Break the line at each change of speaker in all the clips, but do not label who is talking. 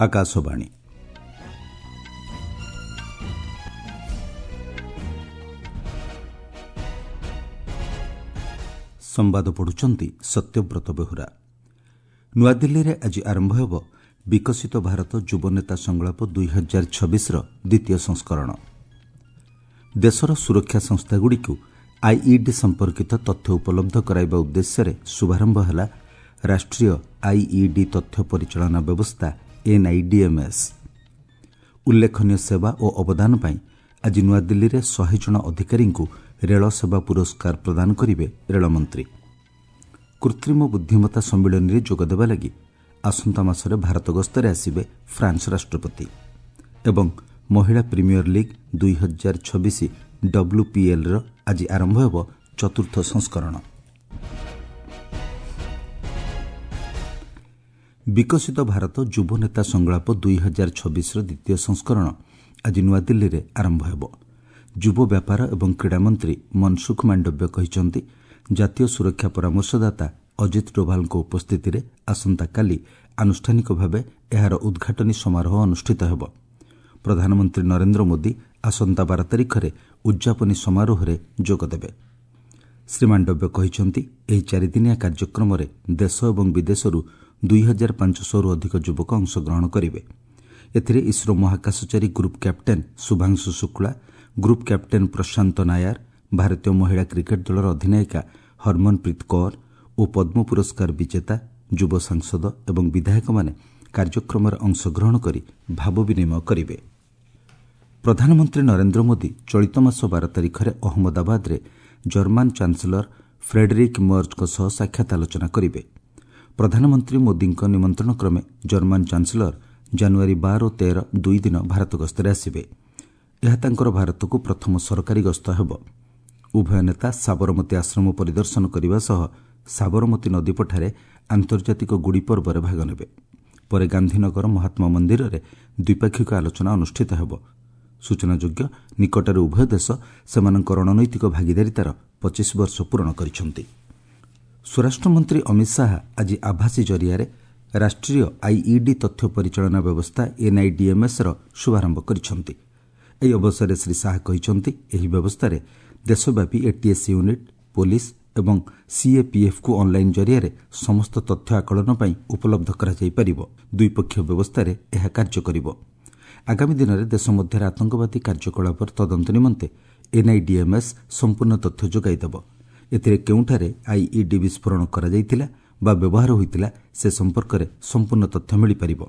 ଆକାଶବାଣୀ। ସମ୍ବାଦ ପଢ଼ୁଛନ୍ତି ସତ୍ୟବ୍ରତ ବେହୁରା। ନୂଆଦିଲ୍ଲୀରେ ଆଜି ଆରମ୍ଭ ହେବ ବିକଶିତ ଭାରତ ଯୁବନେତା ସଂଳାପ 2026ର ଦ୍ୱିତୀୟ ସଂସ୍କରଣ। ଦେଶର ସୁରକ୍ଷା ସଂସ୍ଥାଗୁଡ଼ିକୁ ଆଇଇଡି ସମ୍ପର୍କିତ ତଥ୍ୟ ଉପଲବ୍ଧ କରାଇବା ଉଦ୍ଦେଶ୍ୟରେ ଶୁଭାରମ୍ଭ ହେଲା ରାଷ୍ଟ୍ରୀୟ ଆଇଇଡି ତଥ୍ୟ ପରିଚାଳନା ବ୍ୟବସ୍ଥା ଏନ୍ଆଇଡିଏମ୍ଏସ୍। ଉଲ୍ଲେଖନୀୟ ସେବା ଓ ଅବଦାନ ପାଇଁ ଆଜି ନୂଆଦିଲ୍ଲୀରେ 100 ଜଣ ଅଧିକାରୀଙ୍କୁ ରେଳ ସେବା ପୁରସ୍କାର ପ୍ରଦାନ କରିବେ ରେଳମନ୍ତ୍ରୀ। କୃତ୍ରିମ ବୁଦ୍ଧିମତ୍ତା ସମ୍ମିଳନୀରେ ଯୋଗଦେବା ଲାଗି ଆସନ୍ତା ମାସରେ ଭାରତ ଗସ୍ତରେ ଆସିବେ ଫ୍ରାନ୍ସ ରାଷ୍ଟ୍ରପତି। ଏବଂ ମହିଳା ପ୍ରିମିୟର ଲିଗ୍ 2026 ଡବ୍ଲ୍ୟୁପିଏଲ୍ର ଆଜି ଆରମ୍ଭ ହେବ ଚତୁର୍ଥ ସଂସ୍କରଣ। ବିକଶିତ ଭାରତ ଯୁବନେତା ସଂଳାପ 2026ର ଦ୍ୱିତୀୟ ସଂସ୍କରଣ ଆଜି ନୂଆଦିଲ୍ଲୀରେ ଆରମ୍ଭ ହେବ। ଯୁବ ବ୍ୟାପାର ଏବଂ କ୍ରୀଡ଼ାମନ୍ତ୍ରୀ ମନସୁଖ ମାଣ୍ଡବ୍ୟ କହିଛନ୍ତି, ଜାତୀୟ ସୁରକ୍ଷା ପରାମର୍ଶଦାତା ଅଜିତ ଡୋଭାଲଙ୍କ ଉପସ୍ଥିତିରେ ଆସନ୍ତାକାଲି ଆନୁଷ୍ଠାନିକ ଭାବେ ଏହାର ଉଦ୍ଘାଟନୀ ସମାରୋହ ଅନୁଷ୍ଠିତ ହେବ। ପ୍ରଧାନମନ୍ତ୍ରୀ ନରେନ୍ଦ୍ର ମୋଦି ଆସନ୍ତା 12 ତାରିଖରେ ଉଦ୍ଯାପନୀ ସମାରୋହରେ ଯୋଗଦେବେ। ଶ୍ରୀ ମାଣ୍ଡବ୍ୟ କହିଛନ୍ତି, ଏହି ଚାରିଦିନିଆ କାର୍ଯ୍ୟକ୍ରମରେ ଦେଶ ଏବଂ ବିଦେଶରୁ 2500ରୁ ଅଧିକ ଯୁବକ ଅଂଶଗ୍ରହଣ କରିବେ। ଏଥିରେ ଇସ୍ରୋ ମହାକାଶଚାରୀ group captain Shubhanshu Shukla, group captain Prashant Nair, ଭାରତୀୟ ମହିଳା କ୍ରିକେଟ୍ ଦଳର ଅଧିନାୟିକା ହରମନପ୍ରୀତ କୌର ଓ ପଦ୍ମ ପୁରସ୍କାର ବିଜେତା, ଯୁବ ସାଂସଦ ଏବଂ ବିଧାୟକମାନେ କାର୍ଯ୍ୟକ୍ରମରେ ଅଂଶଗ୍ରହଣ କରି ଭାବ ବିନିମୟ କରିବେ। ପ୍ରଧାନମନ୍ତ୍ରୀ ନରେନ୍ଦ୍ର ମୋଦି ଚଳିତ ମାସ 12 ତାରିଖରେ ଅହମ୍ମଦାବାଦରେ ଜର୍ମାନ ଚାନ୍ସେଲର ଫ୍ରେଡେରିକ୍ ମର୍ଜଙ୍କ ସହ ସାକ୍ଷାତ ଆଲୋଚନା କରିବେ। ପ୍ରଧାନମନ୍ତ୍ରୀ ମୋଦିଙ୍କ ନିମନ୍ତ୍ରଣ କ୍ରମେ ଜର୍ମାନ ଚାନ୍ସେଲର ଜାନୁଆରୀ 12 ଓ 13 ଦୁଇ ଦିନ ଭାରତ ଗସ୍ତରେ ଆସିବେ। ଏହା ତାଙ୍କର ଭାରତକୁ ପ୍ରଥମ ସରକାରୀ ଗସ୍ତ ହେବ। ଉଭୟ ନେତା ସାବରମତୀ ଆଶ୍ରମ ପରିଦର୍ଶନ କରିବା ସହ ସାବରମତୀ ନଦୀପଠାରେ ଆନ୍ତର୍ଜାତିକ ଗୁଡ଼ି ପର୍ବରେ ଭାଗ ନେବେ। ପରେ ଗାନ୍ଧୀନଗର ମହାତ୍ମା ମନ୍ଦିରରେ ଦ୍ୱିପାକ୍ଷିକ ଆଲୋଚନା ଅନୁଷ୍ଠିତ ହେବ। ସୂଚନାଯୋଗ୍ୟ, ନିକଟରେ ଉଭୟ ଦେଶ ସେମାନଙ୍କ ରଣନୈତିକ ଭାଗିଦାରିତାର 25 ବର୍ଷ ପୂରଣ କରିଛନ୍ତି। ସ୍ୱରାଷ୍ଟ୍ରମନ୍ତ୍ରୀ ଅମିତ ଶାହା ଆଜି ଆଭାସୀ ଜରିଆରେ ରାଷ୍ଟ୍ରୀୟ ଆଇଇଡି ତଥ୍ୟ ପରିଚାଳନା ବ୍ୟବସ୍ଥା ଏନ୍ଆଇଡିଏମ୍ଏସ୍ର ଶୁଭାରମ୍ଭ କରିଛନ୍ତି। ଏହି ଅବସରରେ ଶ୍ରୀ ଶାହା କହିଛନ୍ତି, ଏହି ବ୍ୟବସ୍ଥାରେ ଦେଶବ୍ୟାପୀ ଏଟିଏସ୍ ୟୁନିଟ୍, ପୋଲିସ ଏବଂ ସିଏପିଏଫ୍କୁ ଅନ୍ଲାଇନ୍ ଜରିଆରେ ସମସ୍ତ ତଥ୍ୟ ଆକଳନ ପାଇଁ ଉପଲବ୍ଧ କରାଯାଇପାରିବ। ଦ୍ୱିପକ୍ଷୀୟ ବ୍ୟବସ୍ଥାରେ ଏହା କାର୍ଯ୍ୟ କରିବ। ଆଗାମୀ ଦିନରେ ଦେଶ ମଧ୍ୟରେ ଆତଙ୍କବାଦୀ କାର୍ଯ୍ୟକଳାପର ତଦନ୍ତ ନିମନ୍ତେ ଏନ୍ଆଇଡିଏମ୍ଏସ୍ ସମ୍ପୂର୍ଣ୍ଣ ତଥ୍ୟ ଯୋଗାଇଦେବ। ଏଥିରେ କେଉଁଠାରେ ଆଇଇଡି ବିସ୍ଫୋରଣ କରାଯାଇଥିଲା ବା ବ୍ୟବହାର ହୋଇଥିଲା ସେ ସମ୍ପର୍କରେ ସମ୍ପୂର୍ଣ୍ଣ ତଥ୍ୟ ମିଳିପାରିବ।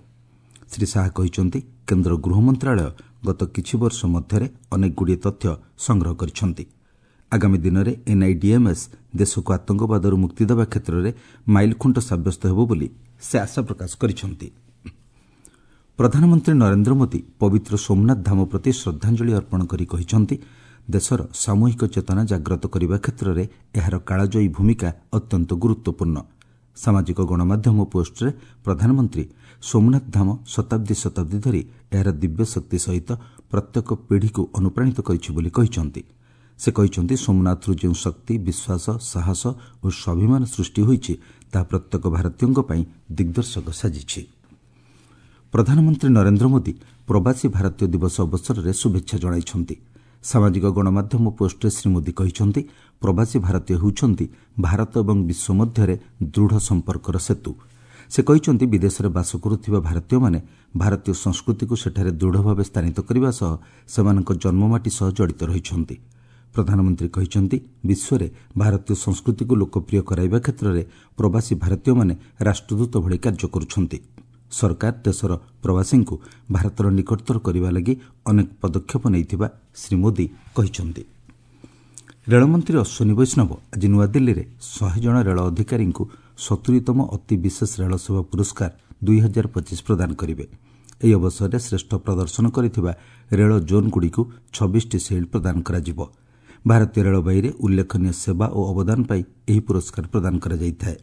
ଶ୍ରୀ ଶାହା କହିଛନ୍ତି, କେନ୍ଦ୍ର ଗୃହ ମନ୍ତ୍ରଣାଳୟ ଗତ କିଛି ବର୍ଷ ମଧ୍ୟରେ ଅନେକଗୁଡ଼ିଏ ତଥ୍ୟ ସଂଗ୍ରହ କରିଛନ୍ତି। ଆଗାମୀ ଦିନରେ ଏନ୍ଆଇଡିଏମ୍ଏସ୍ ଦେଶକୁ ଆତଙ୍କବାଦରୁ ମୁକ୍ତି ଦେବା କ୍ଷେତ୍ରରେ ମାଇଲଖୁଣ୍ଟ ସାବ୍ୟସ୍ତ ହେବ ବୋଲି ସେ ଆଶା ପ୍ରକାଶ କରିଛନ୍ତି। ପ୍ରଧାନମନ୍ତ୍ରୀ ନରେନ୍ଦ୍ର ମୋଦି ପବିତ୍ର ସୋମନାଥ ଧାମ ପ୍ରତି ଶ୍ରଦ୍ଧାଞ୍ଜଳି ଅର୍ପଣ କରି କହିଛନ୍ତି, ଦେଶର ସାମୂହିକ ଚେତନା ଜାଗ୍ରତ କରିବା କ୍ଷେତ୍ରରେ ଏହାର କାଳଜୟୀ ଭୂମିକା ଅତ୍ୟନ୍ତ ଗୁରୁତ୍ୱପୂର୍ଣ୍ଣ। ସାମାଜିକ ଗଣମାଧ୍ୟମ ପୋଷ୍ଟରେ ପ୍ରଧାନମନ୍ତ୍ରୀ ସୋମନାଥ ଧାମ ଶତାବ୍ଦୀ ଶତାବ୍ଦୀ ଧରି ଏହାର ଦିବ୍ୟଶକ୍ତି ସହିତ ପ୍ରତ୍ୟେକ ପିଢ଼ିକୁ ଅନୁପ୍ରାଣିତ କରିଛି ବୋଲି କହିଛନ୍ତି। ସେ କହିଛନ୍ତି, ସୋମନାଥରୁ ଯେଉଁ ଶକ୍ତି, ବିଶ୍ୱାସ, ସାହସ ଓ ସ୍ୱାଭିମାନ ସୃଷ୍ଟି ହୋଇଛି ତାହା ପ୍ରତ୍ୟେକ ଭାରତୀୟଙ୍କ ପାଇଁ ଦିଗ୍ଦର୍ଶକ ସାଜିଛି। ପ୍ରଧାନମନ୍ତ୍ରୀ ନରେନ୍ଦ୍ର ମୋଦି ପ୍ରବାସୀ ଭାରତୀୟ ଦିବସ ଅବସରରେ ଶୁଭେଚ୍ଛା ଜଣାଇଛନ୍ତି। ସାମାଜିକ ଗଣମାଧ୍ୟମ ପୋଷ୍ଟରେ ଶ୍ରୀ ମୋଦି କହିଛନ୍ତି, ପ୍ରବାସୀ ଭାରତୀୟ ହେଉଛନ୍ତି ଭାରତ ଏବଂ ବିଶ୍ୱ ମଧ୍ୟରେ ଦୃଢ଼ ସମ୍ପର୍କର ସେତୁ। ସେ କହିଛନ୍ତି, ବିଦେଶରେ ବାସ କରୁଥିବା ଭାରତୀୟମାନେ ଭାରତୀୟ ସଂସ୍କୃତିକୁ ସେଠାରେ ଦୃଢ଼ ଭାବେ ସ୍ଥାନିତ କରିବା ସହ ସେମାନଙ୍କ ଜନ୍ମମାଟି ସହ ଜଡ଼ିତ ରହିଛନ୍ତି। ପ୍ରଧାନମନ୍ତ୍ରୀ କହିଛନ୍ତି, ବିଶ୍ୱରେ ଭାରତୀୟ ସଂସ୍କୃତିକୁ ଲୋକପ୍ରିୟ କରାଇବା କ୍ଷେତ୍ରରେ ପ୍ରବାସୀ ଭାରତୀୟମାନେ ରାଷ୍ଟ୍ରଦୂତ ଭଳି କାର୍ଯ୍ୟ କରୁଛନ୍ତି। ସରକାର ଦେଶର ପ୍ରବାସୀଙ୍କୁ ଭାରତର ନିକଟତର କରିବା ଲାଗି ଅନେକ ପଦକ୍ଷେପ ନେଇଥିବା ଶ୍ରୀ ମୋଦି କହିଛନ୍ତି। ରେଳମନ୍ତ୍ରୀ ଅଶ୍ୱିନୀ ବୈଷ୍ଣବ ଆଜି ନୂଆଦିଲ୍ଲୀରେ 100 ଜଣ ରେଳ ଅଧିକାରୀଙ୍କୁ 70ତମ ଅତି ବିଶେଷ ରେଳ ସେବା ପୁରସ୍କାର 2025 ପ୍ରଦାନ କରିବେ। ଏହି ଅବସରରେ ଶ୍ରେଷ୍ଠ ପ୍ରଦର୍ଶନ କରିଥିବା ରେଳ ଜୋନ୍ଗୁଡ଼ିକୁ 26ଟି ସିଲ୍ଡ ପ୍ରଦାନ କରାଯିବ। ଭାରତୀୟ ରେଳବାଇରେ ଉଲ୍ଲେଖନୀୟ ସେବା ଓ ଅବଦାନ ପାଇଁ ଏହି ପୁରସ୍କାର ପ୍ରଦାନ କରାଯାଇଥାଏ।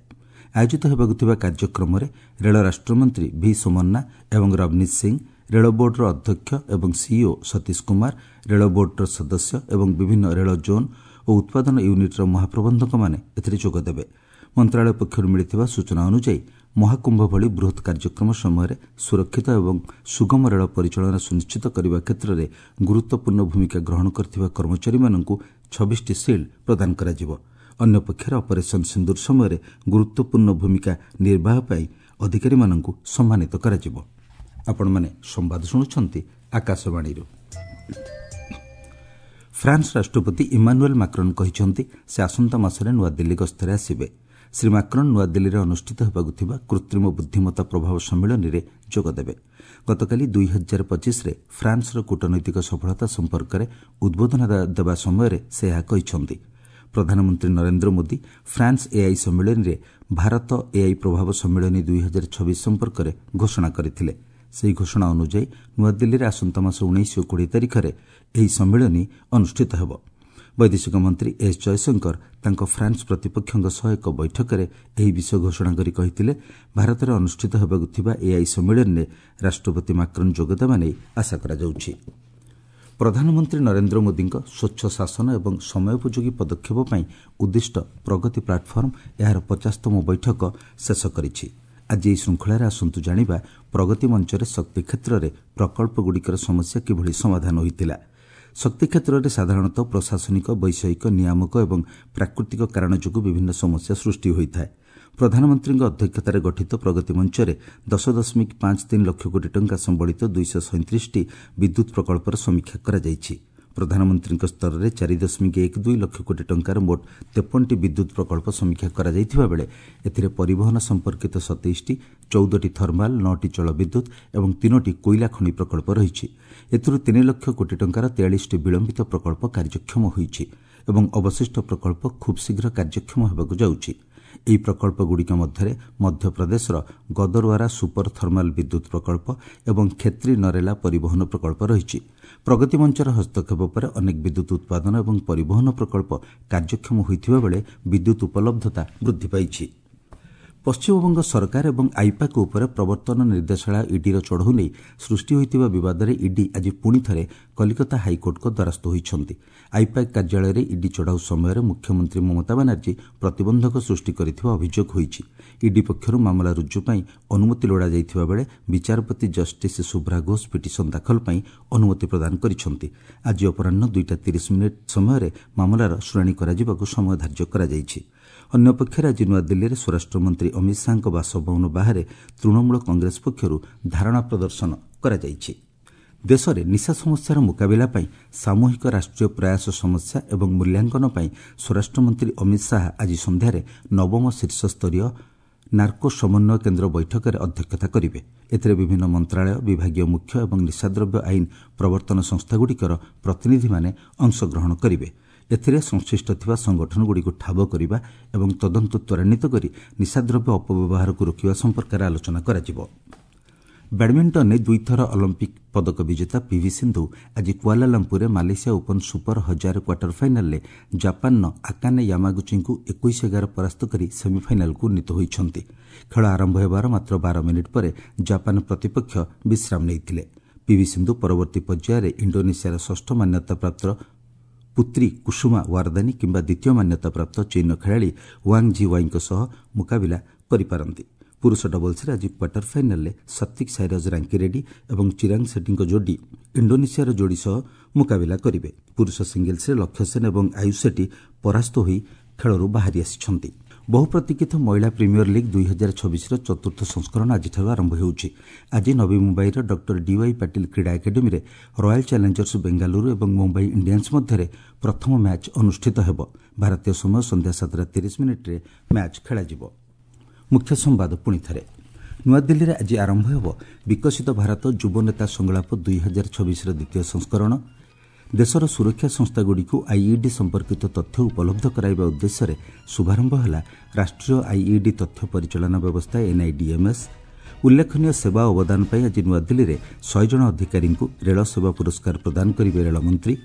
ଆୟୋଜିତ ହେବାକୁ ଥିବା କାର୍ଯ୍ୟକ୍ରମରେ ରେଳ ରାଷ୍ଟ୍ରମନ୍ତ୍ରୀ ଭି ସୋମନ୍ନା ଏବଂ ରବନୀତ ସିଂ, ରେଳ ବୋର୍ଡର ଅଧ୍ୟକ୍ଷ ଏବଂ ସିଇଓ ସତୀଶ କୁମାର, ରେଳ ବୋର୍ଡର ସଦସ୍ୟ ଏବଂ ବିଭିନ୍ନ ରେଳ ଜୋନ୍ ଓ ଉତ୍ପାଦନ ୟୁନିଟ୍ର ମହାପ୍ରବନ୍ଧକମାନେ ଏଥିରେ ଯୋଗଦେବେ। ମନ୍ତ୍ରଣାଳୟ ପକ୍ଷରୁ ମିଳିଥିବା ସୂଚନା ଅନୁଯାୟୀ, ମହାକୁମ୍ଭ ଭଳି ବୃହତ୍ କାର୍ଯ୍ୟକ୍ରମ ସମୟରେ ସୁରକ୍ଷିତ ଏବଂ ସୁଗମ ରେଳ ପରିଚାଳନା ସୁନିଶ୍ଚିତ କରିବା କ୍ଷେତ୍ରରେ ଗୁରୁତ୍ୱପୂର୍ଣ୍ଣ ଭୂମିକା ଗ୍ରହଣ କରିଥିବା କର୍ମଚାରୀମାନଙ୍କୁ 26ଟି ସିଲ୍ଡ ପ୍ରଦାନ କରାଯିବ। ଅନ୍ୟପକ୍ଷରେ ଅପରେସନ୍ ସିନ୍ଦୁର ସମୟରେ ଗୁରୁତ୍ୱପୂର୍ଣ୍ଣ ଭୂମିକା ନିର୍ବାହ ପାଇଁ ଅଧିକାରୀମାନଙ୍କୁ ସମ୍ମାନିତ କରାଯିବ। ଆପଣମାନେ ସମ୍ବାଦ ଶୁଣୁଛନ୍ତି ଆକାଶବାଣୀରୁ। ଫ୍ରାନ୍ସ ରାଷ୍ଟ୍ରପତି ଇମାନୁଏଲ୍ ମାକ୍ରନ୍ କହିଛନ୍ତି, ସେ ଆସନ୍ତା ମାସରେ ନୂଆଦିଲ୍ଲୀ ଗସ୍ତରେ ଆସିବେ। ଶ୍ରୀ ମାକ୍ରନ୍ ନୂଆଦିଲ୍ଲୀରେ ଅନୁଷ୍ଠିତ ହେବାକୁ ଥିବା କୃତ୍ରିମ ବୁଦ୍ଧିମତ୍ତା ପ୍ରଭାବ ସମ୍ମିଳନୀରେ ଯୋଗଦେବେ। ଗତକାଲି 2025ରେ ଫ୍ରାନ୍ସର କୂଟନୈତିକ ସଫଳତା ସମ୍ପର୍କରେ ଉଦ୍ବୋଧନ ଦେବା ସମୟରେ ସେ ଏହା କହିଛନ୍ତି। ପ୍ରଧାନମନ୍ତ୍ରୀ ନରେନ୍ଦ୍ର ମୋଦି ଫ୍ରାନ୍ସ ଏଆଇ ସମ୍ମିଳନୀରେ ଭାରତ ଏଆଇ ପ୍ରଭାବ ସମ୍ମିଳନୀ 2026 ସମ୍ପର୍କରେ ଘୋଷଣା କରିଥିଲେ। ସେହି ଘୋଷଣା ଅନୁଯାୟୀ ନୂଆଦିଲ୍ଲୀରେ ଆସନ୍ତା ମାସ 19 ଓ 20 ତାରିଖରେ ଏହି ସମ୍ମିଳନୀ ଅନୁଷ୍ଠିତ ହେବ। ବୈଦେଶିକ ମନ୍ତ୍ରୀ ଏସ୍ ଜୟଶଙ୍କର ତାଙ୍କ ଫ୍ରାନ୍ସ ପ୍ରତିପକ୍ଷଙ୍କ ସହ ଏକ ବୈଠକରେ ଏହି ବିଷୟ ଘୋଷଣା କରି କହିଥିଲେ, ଭାରତରେ ଅନୁଷ୍ଠିତ ହେବାକୁ ଥିବା ଏଆଇ ସମ୍ମିଳନୀରେ ରାଷ୍ଟ୍ରପତି ମାକ୍ରନ୍ ଯୋଗଦେବା ନେଇ ଆଶା କରାଯାଉଛି। ପ୍ରଧାନମନ୍ତ୍ରୀ ନରେନ୍ଦ୍ର ମୋଦିଙ୍କ ସ୍ୱଚ୍ଛ ଶାସନ ଏବଂ ସମୟୋପଯୋଗୀ ପଦକ୍ଷେପ ପାଇଁ ଉଦ୍ଦିଷ୍ଟ ପ୍ରଗତି ପ୍ଲାଟଫର୍ମ ଏହାର 50ତମ ବୈଠକ ଶେଷ କରିଛି। ଆଜି ଏହି ଶୃଙ୍ଖଳାରେ ଆସନ୍ତୁ ଜାଣିବା ପ୍ରଗତି ମଞ୍ଚରେ ଶକ୍ତି କ୍ଷେତ୍ରରେ ପ୍ରକଳ୍ପଗୁଡ଼ିକର ସମସ୍ୟା କିଭଳି ସମାଧାନ ହୋଇଥିଲା। ଶକ୍ତି କ୍ଷେତ୍ରରେ ସାଧାରଣତଃ ପ୍ରଶାସନିକ, ବୈଷୟିକ, ନିୟାମକ ଏବଂ ପ୍ରାକୃତିକ କାରଣ ଯୋଗୁଁ ବିଭିନ୍ନ ସମସ୍ୟା ସୃଷ୍ଟି ହୋଇଥାଏ। ପ୍ରଧାନମନ୍ତ୍ରୀଙ୍କ ଅଧ୍ୟକ୍ଷତାରେ ଗଠିତ ପ୍ରଗତି ମଞ୍ଚରେ 10.53 ଲକ୍ଷ କୋଟି ଟଙ୍କା ସମ୍ବଳିତ 237ଟି ବିଦ୍ୟୁତ୍ ପ୍ରକଳ୍ପର ସମୀକ୍ଷା କରାଯାଇଛି। ପ୍ରଧାନମନ୍ତ୍ରୀଙ୍କ ସ୍ତରରେ 4.12 ଲକ୍ଷ କୋଟି ଟଙ୍କାର ମୋଟ 53ଟି ବିଦ୍ୟୁତ୍ ପ୍ରକଳ୍ପ ସମୀକ୍ଷା କରାଯାଇଥିବା ବେଳେ ଏଥିରେ ପରିବହନ ସମ୍ପର୍କିତ 27ଟି, 14ଟି ଥର୍ମାଲ୍, 9ଟି ଜଳବିଦ୍ୟୁତ୍ ଏବଂ 3ଟି କୋଇଲା ଖଣି ପ୍ରକଳ୍ପ ରହିଛି। ଏଥିରୁ 3 ଲକ୍ଷ କୋଟି ଟଙ୍କାର 43ଟି ବିଳମ୍ବିତ ପ୍ରକଳ୍ପ କାର୍ଯ୍ୟକ୍ଷମ ହୋଇଛି ଏବଂ ଅବଶିଷ୍ଟ ପ୍ରକଳ୍ପ ଖୁବ୍ ଶୀଘ୍ର କାର୍ଯ୍ୟକ୍ଷମ ହେବାକୁ ଯାଉଛି। ଏହି ପ୍ରକଳ୍ପଗୁଡ଼ିକ ମଧ୍ୟରେ ମଧ୍ୟପ୍ରଦେଶର ଗଦରୱାରା ସୁପର ଥର୍ମାଲ୍ ବିଦ୍ୟୁତ୍ ପ୍ରକଳ୍ପ ଏବଂ କ୍ଷେତ୍ରୀ ନରେଲା ପରିବହନ ପ୍ରକଳ୍ପ ରହିଛି। ପ୍ରଗତି ମଞ୍ଚର ହସ୍ତକ୍ଷେପ ପରେ ଅନେକ ବିଦ୍ୟୁତ୍ ଉତ୍ପାଦନ ଏବଂ ପରିବହନ ପ୍ରକଳ୍ପ କାର୍ଯ୍ୟକ୍ଷମ ହୋଇଥିବା ବେଳେ ବିଦ୍ୟୁତ୍ ଉପଲବ୍ଧତା ବୃଦ୍ଧି ପାଇଛି। ପଶ୍ଚିମବଙ୍ଗ ସରକାର ଏବଂ ଆଇପାକ୍ ଉପରେ ପ୍ରବର୍ତ୍ତନ ନିର୍ଦ୍ଦେଶାଳୟ ଇଡିର ଚଢ଼ଉ ନେଇ ସୃଷ୍ଟି ହୋଇଥିବା ବିବାଦରେ ଇଡି ଆଜି ପୁଣି ଥରେ କଲିକତା ହାଇକୋର୍ଟଙ୍କ ଦ୍ୱାରସ୍ଥ ହୋଇଛନ୍ତି। ଆଇପାକ୍ କାର୍ଯ୍ୟାଳୟରେ ଇଡି ଚଢ଼ାଉ ସମୟରେ ମୁଖ୍ୟମନ୍ତ୍ରୀ ମମତା ବାନାର୍ଜୀ ପ୍ରତିବନ୍ଧକ ସୃଷ୍ଟି କରିଥିବା ଅଭିଯୋଗ ହୋଇଛି। ଇଡି ପକ୍ଷରୁ ମାମଲା ରୁଜୁ ପାଇଁ ଅନୁମତି ଲୋଡ଼ାଯାଇଥିବା ବେଳେ ବିଚାରପତି ଜଷ୍ଟିସ୍ ଶୁଭ୍ରା ଘୋଷ ପିଟିସନ୍ ଦାଖଲ ପାଇଁ ଅନୁମତି ପ୍ରଦାନ କରିଛନ୍ତି। ଆଜି ଅପରାହ୍ନ 2ଟା 30 ମିନିଟ୍ ସମୟରେ ମାମଲାର ଶୁଣାଣି କରାଯିବାକୁ ସମୟ ଧାର୍ଯ୍ୟ କରାଯାଇଛି। ଅନ୍ୟପକ୍ଷରେ ଆଜି ନୂଆଦିଲ୍ଲୀରେ ସ୍ୱରାଷ୍ଟ୍ରମନ୍ତ୍ରୀ ଅମିତ ଶାହାଙ୍କ ବାସଭବନ ବାହାରେ ତୃଣମୂଳ କଂଗ୍ରେସ ପକ୍ଷରୁ ଧାରଣା ପ୍ରଦର୍ଶନ କରାଯାଇଛି। ଦେଶରେ ନିଶା ସମସ୍ୟାର ମୁକାବିଲା ପାଇଁ ସାମୂହିକ ରାଷ୍ଟ୍ରୀୟ ପ୍ରୟାସ ସମସ୍ୟା ଏବଂ ମୂଲ୍ୟାଙ୍କନ ପାଇଁ ସ୍ୱରାଷ୍ଟ୍ରମନ୍ତ୍ରୀ ଅମିତ ଶାହା ଆଜି ସନ୍ଧ୍ୟାରେ ନବମ ଶୀର୍ଷସ୍ତରୀୟ ନାର୍କୋ ସମନ୍ୱୟ କେନ୍ଦ୍ର ବୈଠକରେ ଅଧ୍ୟକ୍ଷତା କରିବେ। ଏଥିରେ ବିଭିନ୍ନ ମନ୍ତ୍ରଣାଳୟ, ବିଭାଗୀୟ ମୁଖ୍ୟ ଏବଂ ନିଶାଦ୍ରବ୍ୟ ଆଇନ ପ୍ରବର୍ତ୍ତନ ସଂସ୍ଥାଗୁଡ଼ିକର ପ୍ରତିନିଧିମାନେ ଅଂଶଗ୍ରହଣ କରିବେ। ଏଥିରେ ସଂଶ୍ଳିଷ୍ଟ ଥିବା ସଂଗଠନଗୁଡ଼ିକୁ ଠାବ କରିବା ଏବଂ ତଦନ୍ତ ତ୍ୱରାନ୍ୱିତ କରି ନିଶାଦ୍ରବ୍ୟ ଅପବ୍ୟବହାରକୁ ରୋକିବା ସମ୍ପର୍କରେ ଆଲୋଚନା କରାଯିବ। ବ୍ୟାଡ୍ମିଣ୍ଟନରେ ଦୁଇଥର ଅଲିମ୍ପିକ୍ ପଦକ ବିଜେତା ପିଭି ସିନ୍ଧୁ ଆଜି କୁଆଲାଲମ୍ପୁରରେ ମାଲେସିଆ ଓପନ୍ ସୁପର 1000 କ୍ୱାର୍ଟର ଫାଇନାଲ୍ରେ ଜାପାନର ଆକାନେ ୟାମାଗୁଚିଙ୍କୁ 21-11 ପରାସ୍ତ କରି ସେମିଫାଇନାଲ୍କୁ ଉନ୍ନୀତ ହୋଇଛନ୍ତି। ଖେଳ ଆରମ୍ଭ ହେବାର ମାତ୍ର 12 ମିନିଟ୍ ପରେ ଜାପାନ ପ୍ରତିପକ୍ଷ ବିଶ୍ରାମ ନେଇଥିଲେ। ପିଭି ସିନ୍ଧୁ ପରବର୍ତ୍ତୀ ପର୍ଯ୍ୟାୟରେ ଇଣ୍ଡୋନେସିଆର ଷଷ୍ଠ ମାନ୍ୟତାପ୍ରାପ୍ତ ପୁତ୍ରୀ କୁସୁମା ୱାରଦାନୀ କିମ୍ବା ଦ୍ୱିତୀୟ ମାନ୍ୟତାପ୍ରାପ୍ତ ଚୀନ୍ର ଖେଳାଳି ୱାଙ୍ଗ୍ ଝି ୱାଇଙ୍କ ସହ ମୁକାବିଲା କରିପାରନ୍ତି। ପୁରୁଷ ଡବଲ୍ସରେ ଆଜି କ୍ୱାର୍ଟର ଫାଇନାଲ୍ରେ ସାତ୍ୱିକ ସାଇରାଜ ରାଙ୍କିରେଡ୍ଡି ଏବଂ ଚିରାଗ ସେଟ୍ଟୀଙ୍କ ଯୋଡ଼ି ଇଣ୍ଡୋନେସିଆର ଯୋଡ଼ି ସହ ମୁକାବିଲା କରିବେ। ପୁରୁଷ ସିଙ୍ଗଲ୍ସରେ ଲକ୍ଷ୍ୟ ସେନ୍ ଏବଂ ଆୟୁଷ ସେଟ୍ଟୀ ପରାସ୍ତ ହୋଇ ଖେଳରୁ ବାହାରି ଆସିଛନ୍ତି। ବହୁ ପ୍ରତୀକ୍ଷିତ ମହିଳା ପ୍ରିମିୟର ଲିଗ୍ 2026ର ଚତୁର୍ଥ ସଂସ୍କରଣ ଆଜିଠାରୁ ଆରମ୍ଭ ହେଉଛି। ଆଜି ନବୀ ମୁମ୍ବାଇର ଡକ୍ଟର ଡିୱାଇ ପାଟିଲ କ୍ରୀଡ଼ା ଏକାଡେମୀରେ ରୟାଲ୍ ଚ୍ୟାଲେଞ୍ଜର୍ସ ବେଙ୍ଗାଲୁରୁ ଏବଂ ମୁମ୍ବାଇ ଇଣ୍ଡିଆନ୍ସ ମଧ୍ୟରେ ପ୍ରଥମ ମ୍ୟାଚ୍ ଅନୁଷ୍ଠିତ ହେବ। ଭାରତୀୟ ସମୟ ସନ୍ଧ୍ୟା 7ଟା 30 ମିନିଟ୍ରେ ମ୍ୟାଚ୍ ଖେଳାଯିବ। ମୁଖ୍ୟ ସମ୍ବାଦ ପୁଣି ଥରେ। ନୂଆଦିଲ୍ଲୀରେ ଆଜି ଆରମ୍ଭ ହେବ ବିକଶିତ ଭାରତ ଯୁବନେତା ସଂଳାପ 2026ର ଦ୍ୱିତୀୟ ସଂସ୍କରଣ। ଦେଶର ସୁରକ୍ଷା ସଂସ୍ଥାଗୁଡ଼ିକୁ ଆଇଇଡି ସମ୍ପର୍କିତ ତଥ୍ୟ ଉପଲବ୍ଧ କରାଇବା ଉଦ୍ଦେଶ୍ୟରେ ଶୁଭାରମ୍ଭ ହେଲା ରାଷ୍ଟ୍ରୀୟ ଆଇଇଡି ତଥ୍ୟ ପରିଚାଳନା ବ୍ୟବସ୍ଥା, ଏନ୍ଆଇଡିଏମ୍ଏସ୍। ଉଲ୍ଲେଖନୀୟ ସେବା ଅବଦାନ ପାଇଁ ଆଜି ନୂଆଦିଲ୍ଲୀରେ 100 ଜଣ ଅଧିକାରୀଙ୍କୁ ରେଳ ସେବା ପୁରସ୍କାର ପ୍ରଦାନ କରିବେ ରେଳମନ୍ତ୍ରୀ।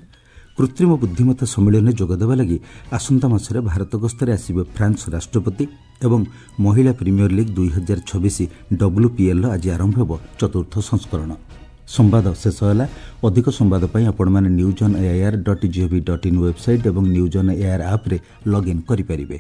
କୃତ୍ରିମ ବୁଦ୍ଧିମତ୍ତା ସମ୍ମିଳନୀରେ ଯୋଗଦେବା ଲାଗି ଆସନ୍ତା ମାସରେ ଭାରତ ଗସ୍ତରେ ଆସିବେ ଫ୍ରାନ୍ସ ରାଷ୍ଟ୍ରପତି। ଏବଂ ମହିଳା ପ୍ରିମିୟର ଲିଗ୍ 2026, ଡବ୍ଲ୍ୟୁପିଏଲ୍ର ଆଜି ଆରମ୍ଭ ହେବ ଚତୁର୍ଥ ସଂସ୍କରଣ। ସମ୍ବାଦ ଶେଷ ହେଲା। ଅଧିକ ସମ୍ବାଦ ପାଇଁ ଆପଣମାନେ newsonAIR.gov.in website ଏବଂ ନ୍ୟୁଜ୍ ଅନ୍ ଏଆଇଆର୍ ଆପ୍ରେ ଲଗ୍ଇନ୍ କରିପାରିବେ।